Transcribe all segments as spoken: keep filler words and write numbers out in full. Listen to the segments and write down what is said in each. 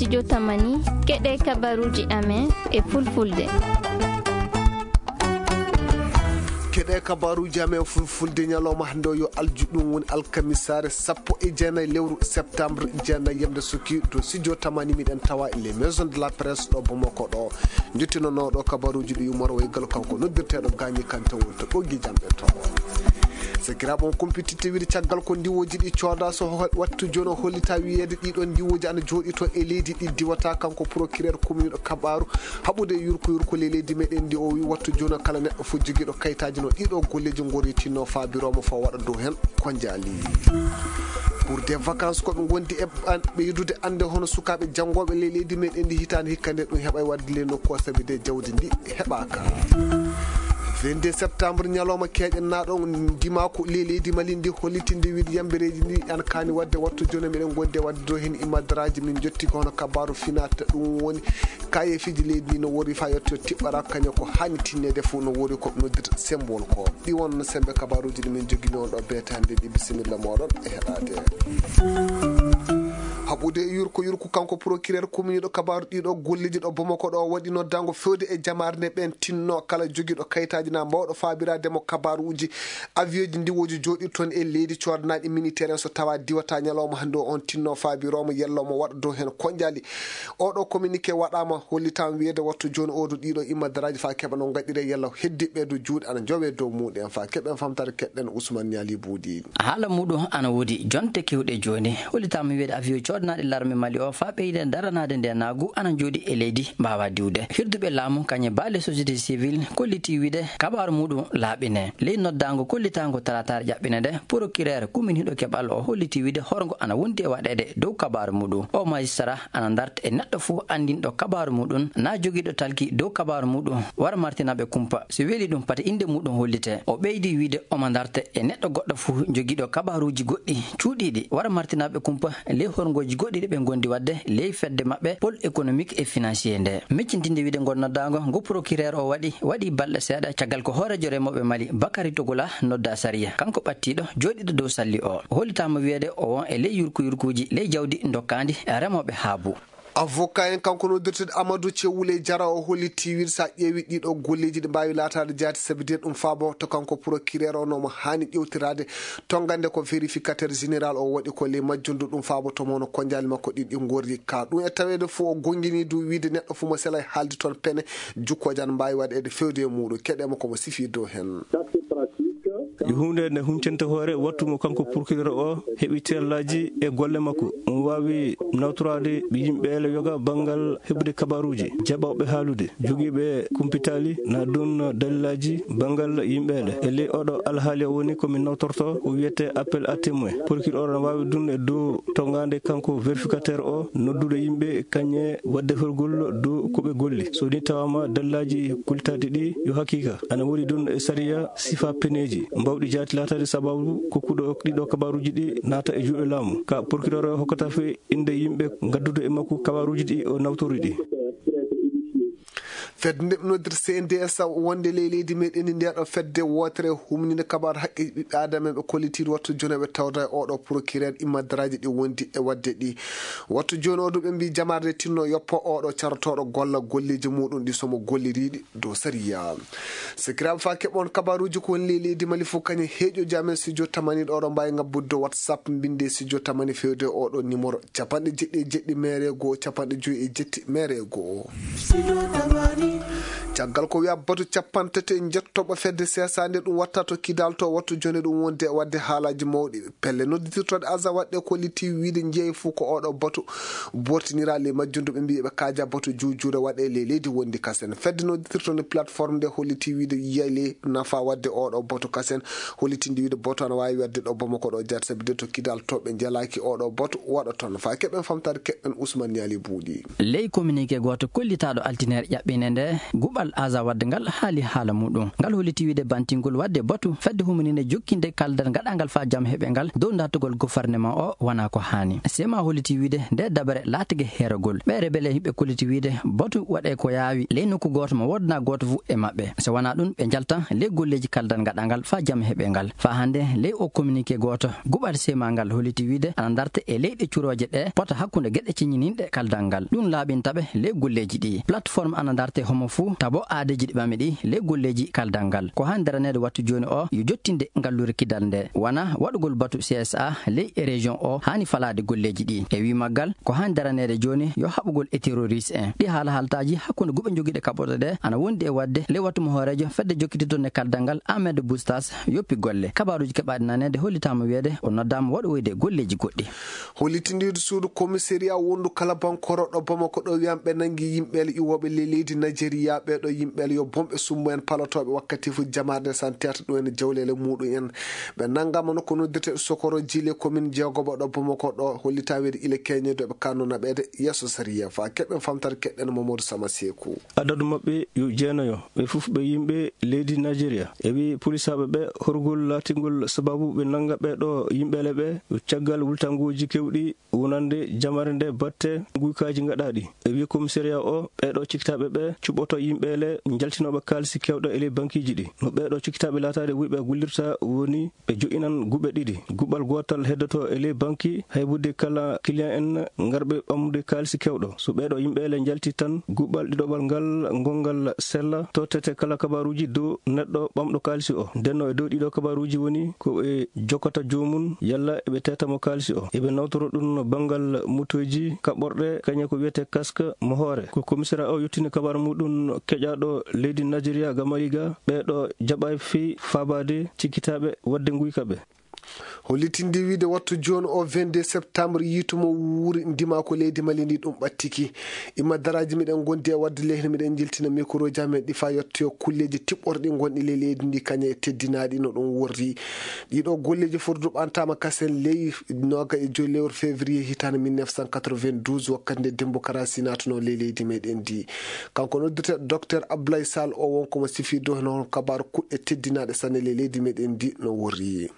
Jotamani, keɗe kabaruuji amen e fulfulde. Keɗe kabaruuji amen fulfulde ñalawma hannde o yo aljuɗum woni alkamisaare sappo e jeenayi lewru septembre jeenayi yamde sukki to studio tamani miɗen tawa les maisons de la presse ɗo Bamako ɗo. Njottinonoɗo kabaruuji ɗi umoro e galo kanko noddirteɗo gaañi kante woni to ɓoggi jamɗe to. Sakiraaɓe on kumpititte wiide caggal ko ndiwooji ɗi cooda so ho- wattu jooni o hollita wiyeede ɗiɗo ndiwooji ana jooɗi to e leydi ɗi diwata kanko procureur commune ɗo kabaru haɓude yurko yurko le leydi meɗen ndi o wi wattu jooni o kala neɗɗo fof jogiiɗo kayitaaji no ɗiɗo golleeji ngori tinno faabirooma fof waɗa dow heen ko njaali. Pour des vacances ko ɓe ngondi e ɓan- ɓeydude annde hono sukaaɓe janngooɓe le leydi meɗen ndi hitaande hikka nde ɗum heɓa e waɗde le nokku o sabi de jawdi ndi heɓaaka. Vingt-deux septembre ñalawma keeƴen naɗo ndimaaku le leydi mali ndi hollitinde wiide yambereeji ndi an kaani waɗde wattu jooni meɗen ngondi e waɗde dow heen imadaraaji min jotti ko hono kabaru finata ɗum woni kayefiiji leydi ndi no wori fa yetto tiɓɓara kañum ko haani tinneede fof no wori ko noddirta symbole ko ɗi won sembe kabaruuji ɗi min jogini on ɗo beetande ɗi bisimilla moɗon e heɗade. Haɓude e yurko yurko kanko procureur commune ɗo kabaru ɗiɗo golleji ɗo Bamako ɗo waɗi noddango fewde e jamaare nde ɓen tinno kala jogiiɗo kayitaaji na mbawɗo faabirademo kabaruuji avion ji ndiwooji jooɗi toon e leydi coodanaɗi militaire en so tawa diwata ñalawma hannde o on tinno faabiromo yellomo waɗa dow heen konjali. Oɗo communiqué waɗama hollitama wiyede wattu joni oɗo ɗiɗo immadaraaji fa keɓa no gaɗire yalla heddiɓe ɗo juuɗe ana jowe dow muɗen fa keɓen famtare keɗɗen Ousmane Niali Boudi. Haala muɗum ana woodi jonte kewɗe jooni. Hollitama wiyede avion coodanaɗe larme Mali o fa ɓeyde daranade nde naagu ana jooɗi e leydi mbawa diwde. Hirduɓe laamu kañe baale société civile kolliti wiyde kabaru muɗum laaɓine. Ley noddango kollitango talataare ƴaɓɓine nde, procureur kuminiɗo keɓal o holliti wiyde horgo ana wondi e waɗede dow kabaru muɗum. O magistrat ana darta e neɗɗo fof anndinɗo kabaaru muɗum, na jogiiɗo talki dow kabaaru muɗum, wara martinaɓe kumpa. So weeli ɗum, pati innde muɗum hollite. O ɓeydi wiyde omo darta e neɗɗo goɗɗo fof jogiiɗo kabaaruuji goɗɗi cuuɗiiɗi, wara martinaɓe kumpa ley horngooji goɗɗi ɗi ɓe ngondi waɗde ley fedde maɓɓe pôle économique et financier nde. Miccintinde wiyde ngol noddaango ngo procureur o waɗi, waɗi balɗe seeɗa caggal ko hooreejo remooɓe Mali, Bakary Togola, nodda sariya. Kanko ɓattiiɗo jooɗiiɗo dow salli o, hollitaama wiyde o won e ley yurku yurkuuji ley jawdi dokkaandi remooɓe haabu. Avocat en kanko noddirteɗo Amadou Thiaw Wuley Diarra o holliti wiyde so a ƴeewi ɗiɗo golleeji ɗi mbaawi laataade jaati sabi de ɗum faabo to kanko procureur o no mo haani ƴewtiraade tongande ko vérificateur général o waɗi ko ley majjundu ɗum faabo to mono konjaali makko ɗiɗi ngorri ka ɗum e taweede fof o gongini du wiyde neɗɗo fof mo selay haaldi toon pene jukkooje ana mbaawi waɗeede fewde e muɗum keɗe mo komo sifi dow heen. Yo huunde nde huncanta hoore wattu mo kanko procureur o heɓi terlaaji e golle makko. Omo waawi nawtoraade yimɓe ele yoga banngal heɓude kabaruuji, jaɓawɓe haalude, jogiiɓe kumpitaali na ɗum dalilaaji banngal yimɓe ele. E ley oɗo alhaali o woni ko min nawtorto ko wiyete appel à témoin. Procureur o na waawi ɗum e dow tongaande kanko vérificateur o noddude yimɓe kañe waɗde horgol dow ko ɓe golli. So ni tawaama dalilaaji kultaaɗi ɗi yo haqiqa ana woni ɗum e sariya sifa peneeji mbawɗi jaati laataade sababu kokkuɗo ɗiɗo kabaruuji ɗi naata e juuɗe laamu. Ka procureur o hokkata fe innde yimɓe ngaddude e makko kabaruuji ɗi o nawtori ɗi. Fedde nde ɓe noddirta C N D S wonde ley leydi meɗen ndi ndeɗo fedde wootere humninde kabaru haqqe ɓiɓɓe adama ɓe kollitiiɗo wattu jooni ɓe tawda e oɗo procureur immadaraaji ɗi wondi e waɗde ɗi. Wattu jooni o ɗum ɓe mbi jamaare nde tinno yoppo oɗo carotooɗo golla golleeji muɗum ɗi somo golliriɗi dow sariya. Sakiraaɓe fa keɓon kabaruuji ko woni ley leydi Mali fof kañum heeƴoji amen studio tamani ɗo ɗo mbawi ngabbude dow WhatsApp mbinde studio tamani fewde oɗo numéro capanɗe jeɗɗi e jeɗɗi mere goo capanɗe joyi e jetti mere goo. Caggal ko wiya batu capanɗe tati e njettoɓo fedde sesande ɗum watta to kidal to wattu jone ɗum wonde e wadde haalaji mawɗi pelle nodditirtoɗe aza waɗɗe kolliti wiide jeeyi fof ko oɗo batu bortinira le majjundu ɓe mbiɓe kaaja batu juujure waɗe le leydi wondi kasen fedde nodditirtoɗe plateforme nde holliti wiide yiyay le nafa waɗde oɗo batu kasen hollitinde wiide batu ana wawi waɗde ɗo Bamako ɗo jaati sabi de to kidal to ɓe jalaaki oɗo batu waɗa toon fa keɓen famtade keɓen Ousmane Niali Buuɗi. Ley communiqué gooto kollitaaɗo altine ƴaɓɓine nde guɓal Aza wadde ngal haali haala muɗum. Ngal holliti wiide bantingol wadde batu fedde humaninde jokkinde kaldal gaɗangal faa jam heɓe ngal dow dartugol gofarneman o wonaa ko haani. Sema holliti wiide nde dabare laatike heeragol. Ɓe rebele ɓe kolliti wiide batu waɗe ko yaawi ley nokku gooto mo woodana gooto fu e maɓɓe. So wonaa ɗum, ɓe njalta ley golleeji kaldal gaɗangal faa jam heɓe ngal. Faa hannde ley o communiqué gooto, guɓal sema ngal holliti wiide ana darte e leyɗe curooje ɗe pota hakkunde geɗe ciñininɗe kaldal ngal. Ɗum laaɓinta ɓe ley golleeji ɗi. Plateforme ana darte homo fuu tabo aadeeji ɗi ɓami ɗi ley golleeji kaldal ngal. Ko haani daraneede wattu jooni o yo jottinde ngalluure kidal nde. Wona waɗugol batu C S A ley e région o haani falaade golleeji ɗi. E wii maggal, ko haani daraneede jooni yo haɓugol e terroriste en. Ɗi haala haaltaaji hakkunde guɓe jogiiɗe kaɓɓoto ɗe ana wondi e waɗde ley wattu mo hooreejo fedde jokkititorde kaldal ngal Ahmed Boustas yoppi golle. Kabaaruuji keɓaaɗi naneede hollitaama wiyeede o noddaama waɗoyde golleeji goɗɗi. Hollitindiiɗo suudu komisariya wondu kala bankoro ɗo Bamako ɗo wiyan ɓe nangi yimɓe iwooɓe ley leydi Najeriya. Ɓeeɗo yimɓe yo bomɓe summu en palotooɓe wakkati fu jamaare nde santerta ɗum en jawleele muɗum en. Ɓe nangama no ko noddirte sokoro jile commune jeegoɓo ɗo Bamako ɗo hollita weede ile keñeedoɓe kanno naɓeede yeeso sariya fa keɓen famtare keɗɗen Mamadou Sama Seku. Adadu maɓɓe yo jeenayo, ɓe fof ɓe yimɓe leydi Najeriya. E wi polisaaɓe ɓe horgol laatingol sababu ɓe nanga ɓeeɗo yimɓeele ɓe caggal wultanguuji kewɗi wonande jamare nde batte guykaaji ngaɗaaɗi. E wi komisariya o, ɓeeɗo cikkitaaɓe ɓe cuɓoto yimɓeele njaltinooɓe kaalisi kewɗo e ley bankiiji ɗi. No ɓeeɗo cikkitaaɓe laataade wuyɓe gollirta woni ɓe jo'inan guɓe ɗiɗi. Guɓal gootal heddoto e ley banki haybude kala client en ngarɓe ɓamde kaalisi kewɗo. So ɓeeɗo yimɓeele njalti tan, guɓal ɗiɗoɓal ngal ngongal sella tottete kala kabaaruuji dow neɗɗo ɓamɗo kaalisi o. Ndenno e dow ɗiɗo kabaaruuji woni ko ɓe jokkata joomum yalla eɓe teeta mo kaalisi o. Eɓe nawtoro ɗum banngal mutoyji kaɓɓorɗe kañe ko wiyetee casque mo hoore. Ko komisariya o yottini kabaaru muɗum keƴaaɗo leydi Najeriya ga Mariga, ɓeeɗo jaɓaay fii faabaade cikkitaaɓe waɗde nguyka ɓe. Hollitinde wiide wattu jooni o vingt-deux septembre yiitumo wuuri ndima ko leydi Mali ndi ɗum ɓattiki. Imma daraaji miɗen ngondi e wadde lehri miɗen jiltina mikrooji amen ɗi faa yettoyo kulleeji tiɓɓorɗi gonɗi ley leydi ndi kañe e teddinaaɗi no ɗum worri. Ɗiɗo golleeji fof duɓantaama kasen ley nooga e joyi lewru février hitaande mille neuf cent quatre-vingt-douze wakkati nde Dembo Karasi naatuno ley leydi meɗen ndi. Kanko noddirte Docteur Abdoulaye Sall o wonko mo sifirde heno kabaaru kuɗɗe teddinaaɗe sanne ley leydi meɗen ndi no worri.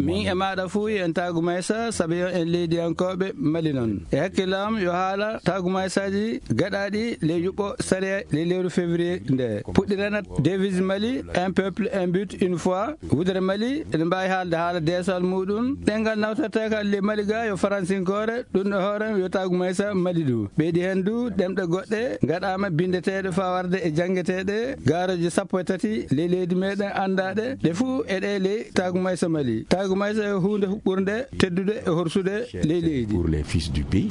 Min e maaɗa fuu en taagu maysa sabi yo en leydiyankooɓe Mali noon. E hakkillam yo haala taagu maysaaji gaɗaaɗi ley yuɓɓo sariya ley lewru février nde. Puɗɗiranat devise Mali, un peuple, un but, une foi. Wudere Mali ene mbaawi haalde haala deesal muɗum. Ɗemngal nawtorteekal ley Mali ga yo faransinkoore, ɗum ɗo hoore yo taagu maysa Mali du. Ɓeydi heen du ɗemɗe goɗɗe ngaɗaama binndeteeɗe faa warde e janngeteeɗe gaarooje sappo e tati ley leydi meɗen anndaaɗe. Ɗe fuu e ɗe ley taagu maysa Mali. Taagu maysa e huunde huɓɓurde, teddude e horsude ley leydi. Pour les fils du pays.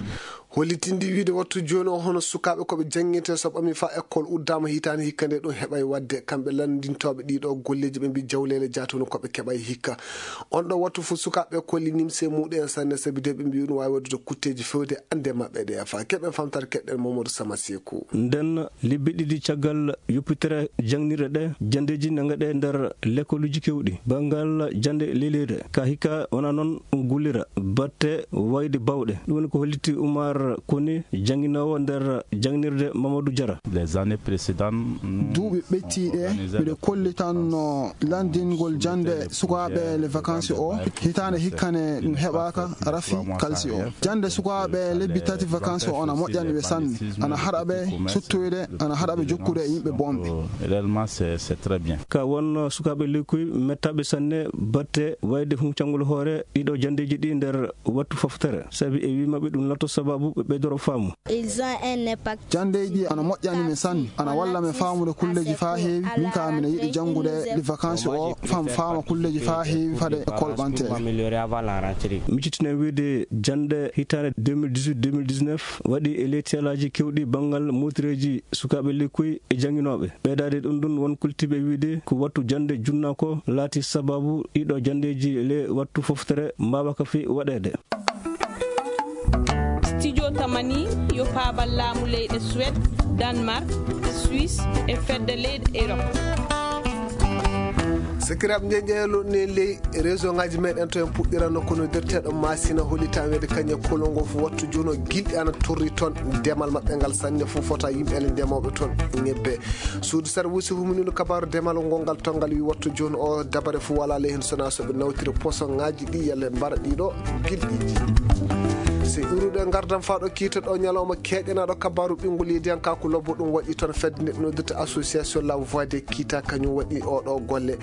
Hollitinde wiide wattu jooni o hono sukaaɓe ko ɓe jannginte so ɓami faa école uddaama hitaande hikka nde ɗum heɓay waɗde. Kamɓe lanndintooɓe ɗiɗo golleeji ɓe mbi jawleele jaatunu ko ɓe keɓay hikka. On ɗo wattu fof sukaaɓe kolli nimse muɗum en sanne sabi de ɓe mbi ɗum waawi waɗude kutteeji fewde annde maɓɓe ɗe faa keɓen famtare keɗɗen Mamadou Sama Seku. Nden lebbi ɗiɗi caggal yoppitere jangnirɗe ɗe, janndeeji ne ngaɗe nder lekoluuji kewɗi. Banngal jannde leleyre, ka hikka wona noon ɗum gullira batte wayde bawɗe. Ɗum woni ko hollitti Umar Koni, jannginoowo nder jangnirde Mamadou Diarra. Les années précédentes, nous Duuɓi ɓettiiɗe, miɗo kollitanno lanndingol jannde sukaaɓe les vacances o. Hitaande hikkane ɗum heɓaaka, rafi kalsi o. Jannde sukaaɓe lebbi tati vacances o ana moƴƴani ɓe sanne. Ana haɗa ɓe suttoyde, ana haɗa ɓe jokkude e yimɓe bonɓe. Réellement, c'est, c'est très bien. Ka won sukaaɓe lekkuy mettaaɓe sanne batte wayde huncangol hoore ɗiɗo janndeeji ɗi nder wattu foftere. Sabi e wii maɓɓe ɗum lato sababu ɓe ɓeydoro faamu. Ils ont un impact. Janndeeji ana moƴƴani men sanne. Ana walla men faamude kulleeji faa heewi. Min kaa miɗo yiɗi janngude ɗi vacances o, fam faama kulleeji faa heewi fade e kolɓanteeje. Miccitinen wiide jannde hitaande deux mille dix-huit deux mille dix-neuf waɗi e ley teelaaji kewɗi banngal mootireeji sukaaɓe lekkuy e jannginooɓe. Ɓeydaade ɗum ɗum won kultiiɓe wiide ko wattu jannde junna ko laati sababu ɗiɗo janndeeji le wattu foftere mbaawaka fi waɗeede. Studio Tamani yo paabal laamu leyɗe Suède, Danemark, Suisse e fedde leyɗe Europe. Sakiraaɓe, nde ƴeeloɗen ley région ngaji meɗen to, en puɗɗirano kono noddirteeɗo Masina, hollitaa weede kañum e Kolongo fof wattu jooni o gilɗi ana torri toon. Demal maɓɓe ngal sanne fof fota yimɓe ele ndemooɓe toon ñebbe. Suudu sarwusi huminino kabaaru demal ngol ngal to ngal wi wattu jooni o dabare fof wala ley heen sona so ɓe nawtiri posoŋaaji ɗi yalla ɓe mbara ɗiɗo gilɗiji. Se iwruɗo e ngardan faaɗo kiita ɗo ñalawma keeƴanaɗo kabaaru ɓinngol yediyankaaku lobbo ɗum waɗi toon fedde nde noddirta association La Voix des Kita kañum waɗi oɗo golle.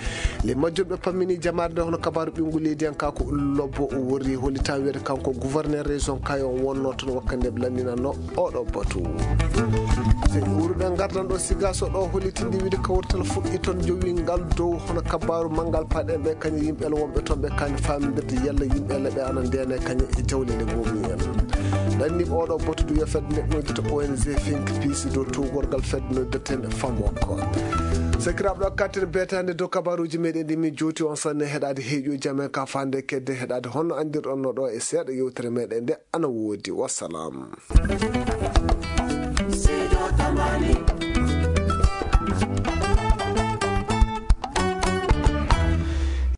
Le majjum ɓe pammini jamaare nde hono kabaaru ɓinngol yediyankaaku lobbo o worri hollitaa weede kanko gouverneur région Kayo wonno toon wakkati nde ɓe lanndinanno oɗo batu. Se iwruɗo e ngardan ɗo Sigaso ɗo hollitinde wiide kawrital fuɗɗi toon jowi ngal dow hono kabaaru manngal paɗen ɓe kañum yimɓe ele wonɓe toon ɓe kaani faamindirde yalla yimɓe ele ɓe ana ndene kañum e jawlele goomi en. Ɗanni oɗo batu du yo fedde nde noddirta O N G Think Peace dow tuugorgal fedde noddirten Famoko. Sakiraaɓe, ɗo katten beetande dow kabaaruuji meɗen ɗi min jowti on sanne heɗaade heeƴuuji amen ka faande kedde heɗaade honno anndirɗon no ɗo e seeɗa yewtere meɗen nde ana woodi. Wassalam.